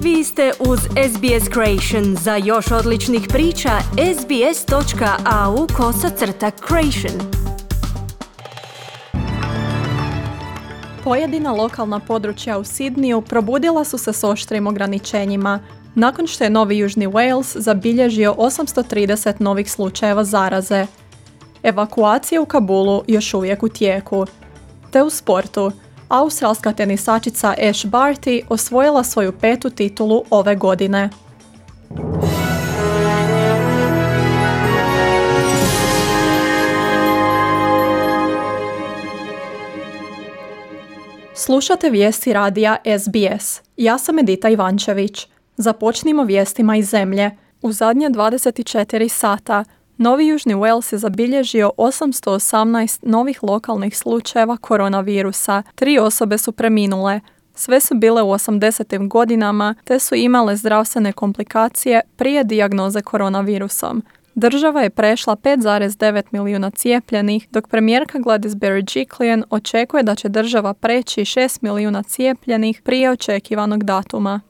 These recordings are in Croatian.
Vi ste uz SBS Creation. Za još odličnih priča, sbs.au/creation. Pojedina lokalna područja u Sydneyu probudila su se s oštrim ograničenjima, nakon što je Novi Južni Wales zabilježio 830 novih slučajeva zaraze. Evakuacija u Kabulu još uvijek u tijeku. Te u sportu, australska tenisačica Ash Barty osvojila svoju 5. titulu ove godine. Slušate vijesti radija SBS. Ja sam Edita Ivančević. Započnimo vijestima iz zemlje. U zadnje 24 sata Novi Južni Wales je zabilježio 818 novih lokalnih slučajeva koronavirusa. 3 osobe su preminule. Sve su bile u 80. godinama te su imale zdravstvene komplikacije prije dijagnoze koronavirusom. Država je prešla 5,9 milijuna cijepljenih, dok premijerka Gladys Berejiklian očekuje da će država preći 6 milijuna cijepljenih prije očekivanog datuma.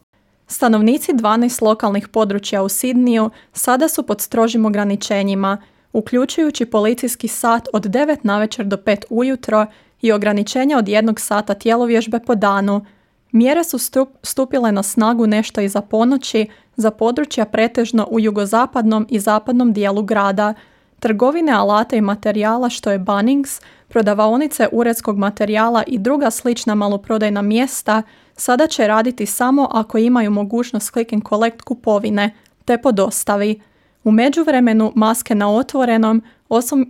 Stanovnici 12 lokalnih područja u Sydneyu sada su pod strožim ograničenjima, uključujući policijski sat od 9 navečer do 5 ujutro i ograničenje od 1 sata tjelovježbe po danu. Mjere su stupile na snagu nešto iza ponoći za područja pretežno u jugozapadnom i zapadnom dijelu grada. Trgovine alata i materijala što je Bunnings, prodavaonice uredskog materijala i druga slična maloprodajna mjesta sada će raditi samo ako imaju mogućnost click and collect kupovine, te po dostavi. U međuvremenu maske na otvorenom,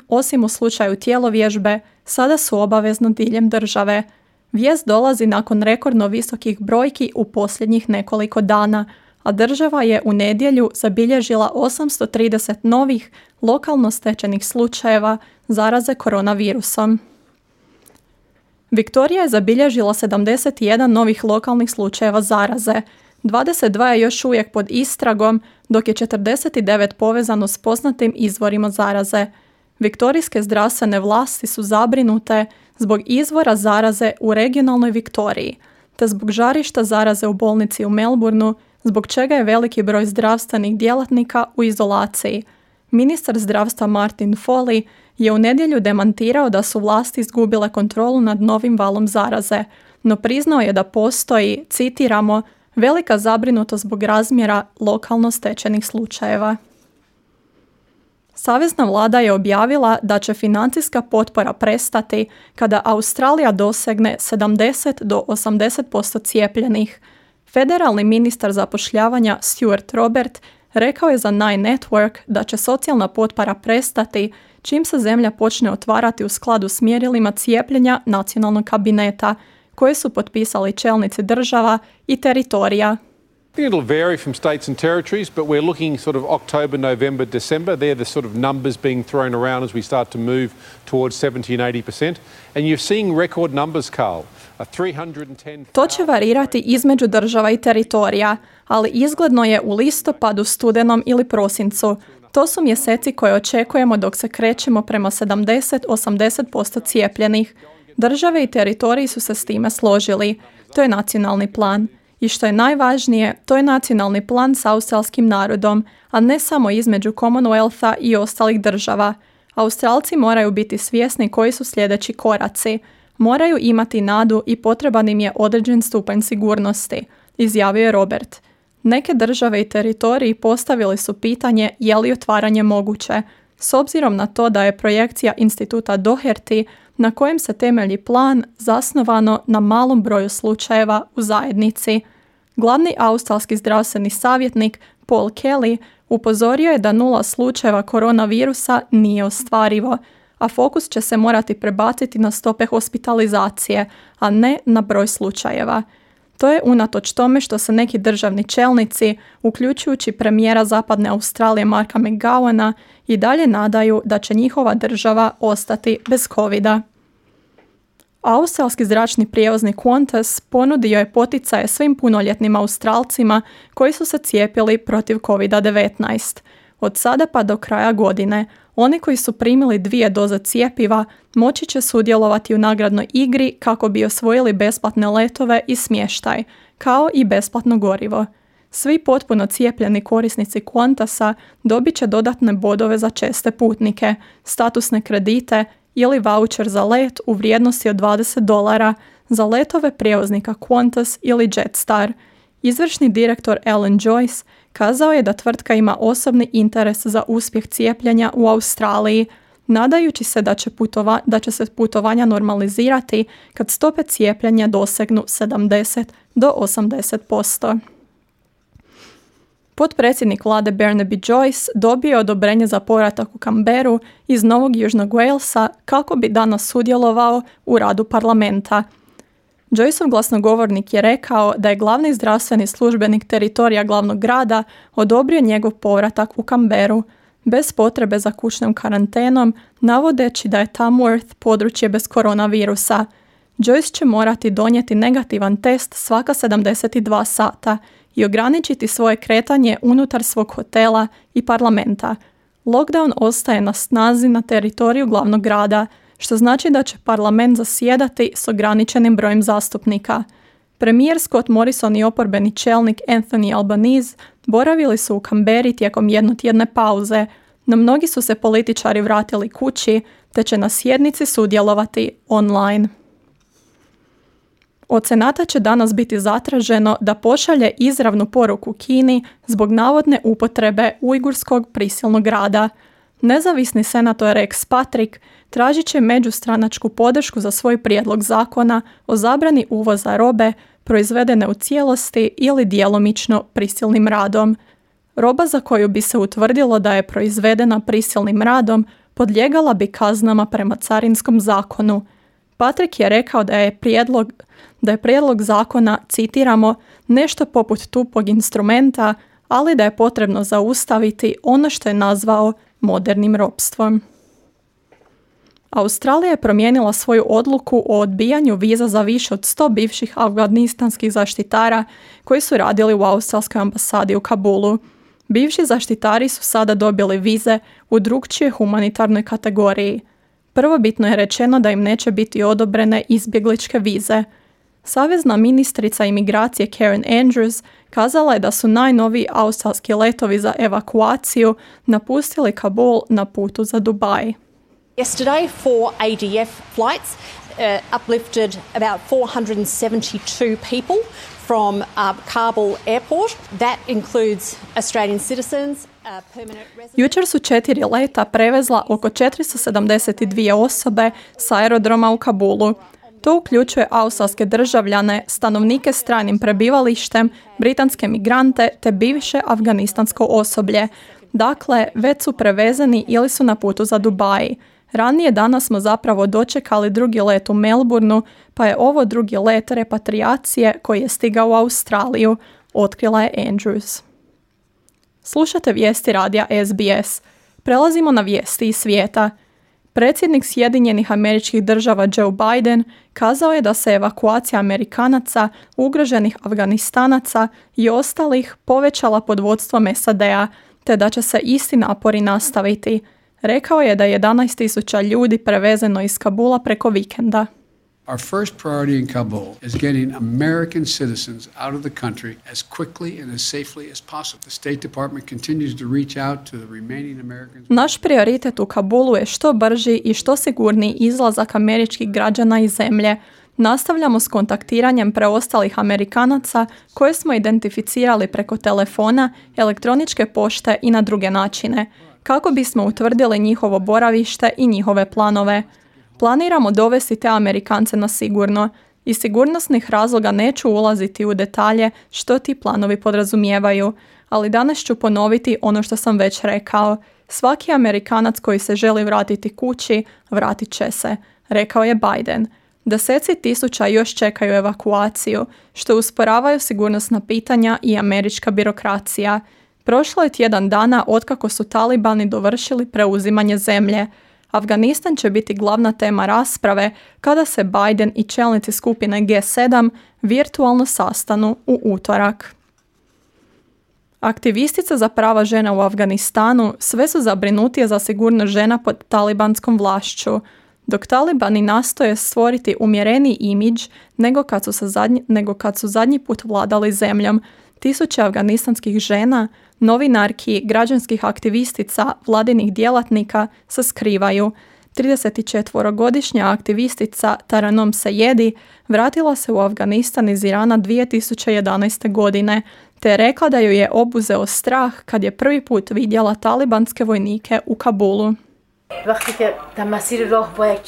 osim u slučaju tjelovježbe, sada su obavezno diljem države. Vijest dolazi nakon rekordno visokih brojki u posljednjih nekoliko dana, a država je u nedjelju zabilježila 830 novih lokalno stečenih slučajeva zaraze koronavirusom. Viktorija je zabilježila 71 novih lokalnih slučajeva zaraze. 22 je još uvijek pod istragom, dok je 49 povezano s poznatim izvorima zaraze. Viktorijske zdravstvene vlasti su zabrinute zbog izvora zaraze u regionalnoj Viktoriji, te zbog žarišta zaraze u bolnici u Melbourneu, zbog čega je veliki broj zdravstvenih djelatnika u izolaciji. Ministar zdravstva Martin Foley je u nedjelju demantirao da su vlasti izgubile kontrolu nad novim valom zaraze, no priznao je da postoji, citiramo, velika zabrinutost zbog razmjera lokalno stečenih slučajeva. Savezna vlada je objavila da će financijska potpora prestati kada Australija dosegne 70 do 80% cijepljenih. Federalni ministar zapošljavanja Stuart Robert rekao je za Nine Network da će socijalna potpora prestati čim se zemlja počne otvarati u skladu s mjerilima cijepljenja nacionalnog kabineta, koje su potpisali čelnici država i teritorija. I think it'll vary from states and territories, but we're looking sort of October, November, December. They're the sort of numbers being thrown around as we start to move towards 70 and 80%. And you're seeing record numbers, Carl. To će varirati između država i teritorija, ali izgledno je u listopadu, studenom ili prosincu. To su mjeseci koje očekujemo dok se krećemo prema 70-80% cijepljenih. Države i teritoriji su se s time složili. To je nacionalni plan. I što je najvažnije, to je nacionalni plan s australskim narodom, a ne samo između Commonwealtha i ostalih država. Australci moraju biti svjesni koji su sljedeći koraci. Moraju imati nadu i potreban im je određen stupanj sigurnosti, izjavio je Robert. Neke države i teritoriji postavili su pitanje je li otvaranje moguće, s obzirom na to da je projekcija instituta Doherty, na kojem se temelji plan, zasnovano na malom broju slučajeva u zajednici. Glavni australski zdravstveni savjetnik Paul Kelly upozorio je da 0 slučajeva koronavirusa nije ostvarivo, a fokus će se morati prebaciti na stope hospitalizacije, a ne na broj slučajeva. To je unatoč tome što se neki državni čelnici, uključujući premijera Zapadne Australije Marka McGowana, i dalje nadaju da će njihova država ostati bez covida. Australski zračni prijevoznik Qantas ponudio je poticaje svim punoljetnim Australcima koji su se cijepili protiv COVID-19. Od sada pa do kraja godine, oni koji su primili 2 doze cjepiva moći će sudjelovati u nagradnoj igri kako bi osvojili besplatne letove i smještaj, kao i besplatno gorivo. Svi potpuno cijepljeni korisnici Qantasa dobit će dodatne bodove za česte putnike, statusne kredite ili vaučer za let u vrijednosti od $20 za letove prijevoznika Qantas ili Jetstar. Izvršni direktor Alan Joyce kazao je da tvrtka ima osobni interes za uspjeh cijepljenja u Australiji, nadajući se da će se putovanja normalizirati kad stope cijepljenja dosegnu 70 do 80%. Potpredsjednik vlade Barnaby Joyce dobio je odobrenje za povratak u Canberru iz Novog Južnog Walesa kako bi danas sudjelovao u radu parlamenta. Joyceov glasnogovornik je rekao da je glavni zdravstveni službenik teritorija glavnog grada odobrio njegov povratak u Canberru bez potrebe za kućnom karantenom, navodeći da je Tamworth područje bez koronavirusa. Joyce će morati donijeti negativan test svaka 72 sata i ograničiti svoje kretanje unutar svog hotela i parlamenta. Lockdown ostaje na snazi na teritoriju glavnog grada, što znači da će parlament zasjedati s ograničenim brojem zastupnika. Premijer Scott Morrison i oporbeni čelnik Anthony Albanese boravili su u Canberri tijekom jednotjedne pauze, no mnogi su se političari vratili kući te će na sjednici sudjelovati online. Od Senata će danas biti zatraženo da pošalje izravnu poruku Kini zbog navodne upotrebe ujgurskog prisilnog rada. Nezavisni senator Rex Patrick tražit će međustranačku podršku za svoj prijedlog zakona o zabrani uvoza robe proizvedene u cijelosti ili djelomično prisilnim radom. Roba za koju bi se utvrdilo da je proizvedena prisilnim radom podlijegala bi kaznama prema carinskom zakonu. Patrick je rekao da je prijedlog zakona, citiramo, nešto poput tupog instrumenta, ali da je potrebno zaustaviti ono što je nazvao modernim ropstvom. Australija je promijenila svoju odluku o odbijanju viza za više od 100 bivših afganistanskih zaštitara koji su radili u australskoj ambasadi u Kabulu. Bivši zaštitari su sada dobili vize u drukčijoj humanitarnoj kategoriji. Prvobitno je rečeno da im neće biti odobrene izbjegličke vize. Savezna ministrica imigracije Karen Andrews kazala je da su najnoviji australski letovi za evakuaciju napustili Kabul na putu za Dubaj. Yesterday, 4 ADF flights uplifted about 472 people from Kabul airport. That includes Australian citizens, permanent residents. Jučer su 4 leta prevezla oko 472 osobe sa aerodroma u Kabulu. To uključuje australske državljane, stanovnike s trajnim prebivalištem, britanske migrante te bivše afganistansko osoblje. Dakle, već su prevezeni ili su na putu za Dubaj. Ranije danas smo zapravo dočekali drugi let u Melbourneu, pa je ovo drugi let repatriacije koji je stigao u Australiju, otkrila je Andrews. Slušate vijesti radija SBS. Prelazimo na vijesti iz svijeta. Predsjednik Sjedinjenih Američkih Država Joe Biden kazao je da se evakuacija Amerikanaca, ugroženih Afganistanaca i ostalih povećala pod vodstvom SAD-a, te da će se isti napori nastaviti. Rekao je da je 11.000 ljudi prevezeno iz Kabula preko vikenda. Our first priority in Kabul is getting American citizens out of the country as quickly and as safely as possible. The State Department continues to reach out to the remaining Americans. Naš prioritet u Kabulu je što brži i što sigurniji izlazak američkih građana iz zemlje. Nastavljamo s kontaktiranjem preostalih Amerikanaca koje smo identificirali preko telefona, elektroničke pošte i na druge načine, kako bismo utvrdili njihovo boravište i njihove planove. Planiramo dovesti te Amerikance na sigurno. Iz sigurnosnih razloga neću ulaziti u detalje što ti planovi podrazumijevaju, ali danas ću ponoviti ono što sam već rekao. Svaki Amerikanac koji se želi vratiti kući, vratit će se, rekao je Biden. Deseci tisuća još čekaju evakuaciju, što usporavaju sigurnosna pitanja i američka birokracija. Prošlo je tjedan dana otkako su talibani dovršili preuzimanje zemlje. Afganistan će biti glavna tema rasprave kada se Biden i čelnici skupine G7 virtualno sastanu u utorak. Aktivistice za prava žena u Afganistanu sve su zabrinutije za sigurnost žena pod talibanskom vlašću. Dok talibani nastoje stvoriti umjereniji imidž nego kad su zadnji put vladali zemljom, Tisuće afganistanskih žena, novinarki, građanskih aktivistica, vladinih djelatnika se skrivaju. 34-godišnja aktivistica Taranum Sejedi vratila se u Afganistan iz Irana 2011. godine, te je rekla da ju je obuzeo strah kad je prvi put vidjela talibanske vojnike u Kabulu.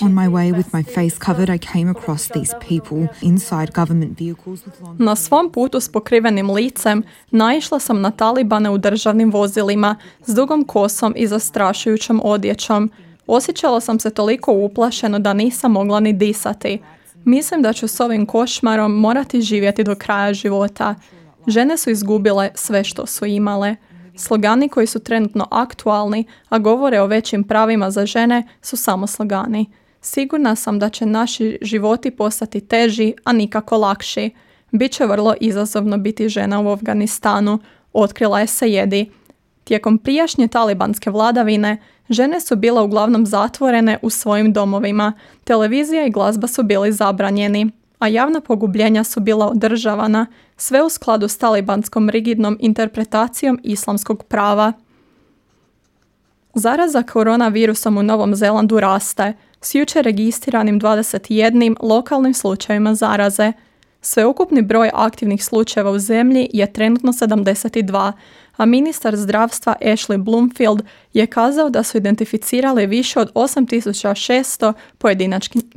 On my way with my face covered, I came across these people inside government vehicles with long... Na svom putu s pokrivenim licem naišla sam na talibane u državnim vozilima s dugom kosom i zastrašujućom odjećom. Osjećala sam se toliko uplašeno da nisam mogla ni disati. Mislim da ću s ovim košmarom morati živjeti do kraja života. Žene su izgubile sve što su imale. Slogani koji su trenutno aktualni, a govore o većim pravima za žene, su samo slogani. Sigurna sam da će naši životi postati teži, a nikako lakši. Biće vrlo izazovno biti žena u Afganistanu, otkrila je Sejedi. Tijekom prijašnje talibanske vladavine, žene su bile uglavnom zatvorene u svojim domovima, televizija i glazba su bili zabranjeni, a javna pogubljenja su bila održavana, sve u skladu s talibanskom rigidnom interpretacijom islamskog prava. Zaraza koronavirusom u Novom Zelandu raste, s jučer registriranim 21 lokalnim slučajevima zaraze. Sveukupni broj aktivnih slučajeva u zemlji je trenutno 72, a ministar zdravstva Ashley Bloomfield je kazao da su identificirali više od 8600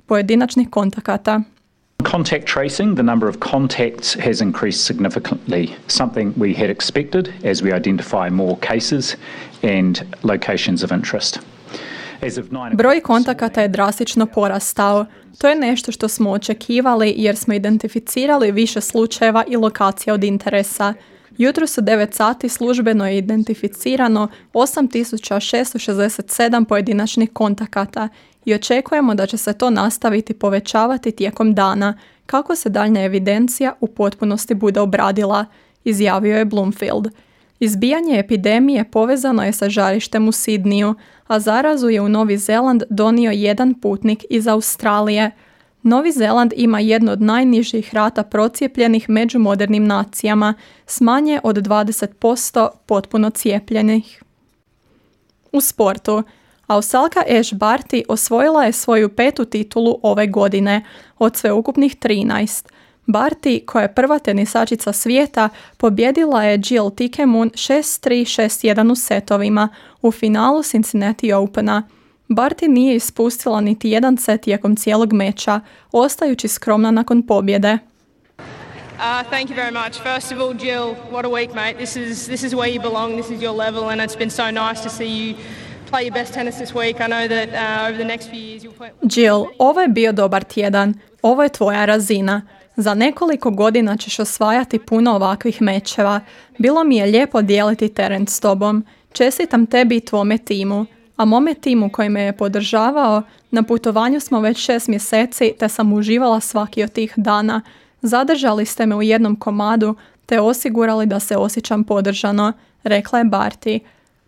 pojedinačnih kontakata. Contact tracing, the number of contacts has increased significantly, something we had expected as we identify more cases and locations of interest. Broj kontakata je drastično porastao. To je nešto što smo očekivali jer smo identificirali više slučajeva i lokacija od interesa. Jutros u 9 sati službeno je identificirano 8667 pojedinačnih kontakata i očekujemo da će se to nastaviti povećavati tijekom dana kako se daljnja evidencija u potpunosti bude obradila, izjavio je Bloomfield. Izbijanje epidemije povezano je sa žarištem u Sidniju, a zarazu je u Novi Zeland donio jedan putnik iz Australije. Novi Zeland ima jednu od najnižih rata procijepljenih među modernim nacijama, s manje od 20% potpuno cijepljenih. U sportu, Australka Ash Barty osvojila je svoju 5. titulu ove godine, od sveukupnih 13. Barty, koja je prva tenisačica svijeta, pobjedila je Jill Tikemoon 6-3, 6-1 u setovima u finalu Cincinnati Opena. Barty nije ispustila niti jedan set tijekom cijelog meča, ostajući skromna nakon pobjede. Thank you very much. First of all, Jill, what a week, mate. This is where you belong. This is your level, and it's been so nice to see you play your best tennis this week. I know that over the next few years you'll play... Jill, ovo je bio dobar tjedan. Ovo je tvoja razina. Za nekoliko godina ćeš osvajati puno ovakvih mečeva. Bilo mi je lijepo dijeliti teren s tobom. Čestitam tebi i tvome timu. A mome timu koji me je podržavao, na putovanju smo već 6 mjeseci te sam uživala svaki od tih dana. Zadržali ste me u jednom komadu te osigurali da se osjećam podržano, rekla je Barty.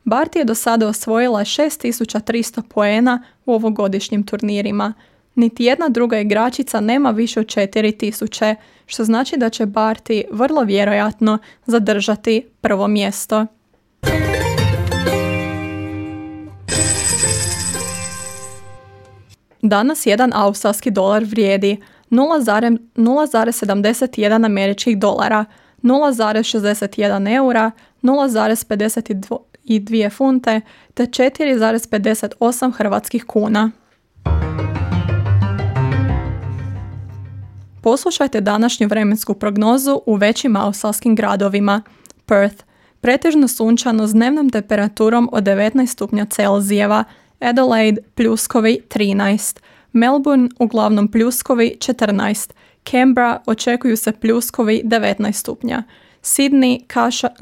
Barty je do sada osvojila 6300 poena u ovogodišnjim turnirima. Niti jedna druga igračica nema više od 4000, što znači da će Barty vrlo vjerojatno zadržati prvo mjesto. Danas jedan australski dolar vrijedi 0,71 američkih dolara, 0,61 eura, 0,52 funte te 4,58 hrvatskih kuna. Poslušajte današnju vremensku prognozu u većim australskim gradovima. Perth, pretežno sunčano s dnevnom temperaturom od 19 stupnja Celzijeva, Adelaide, pljuskovi 13, Melbourne, uglavnom pljuskovi 14, Canberra, očekuju se pljuskovi 19 stupnja, Sydney,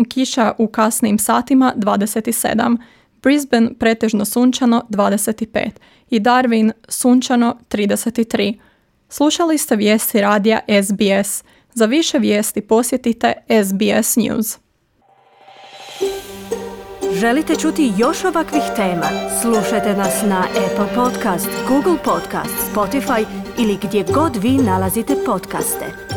kiša u kasnim satima 27, Brisbane, pretežno sunčano 25 i Darwin, sunčano 33. Slušali ste vijesti radija SBS. Za više vijesti posjetite SBS News. Želite čuti još ovakvih tema? Slušajte nas na Apple Podcast, Google Podcast, Spotify ili gdje god vi nalazite podcaste.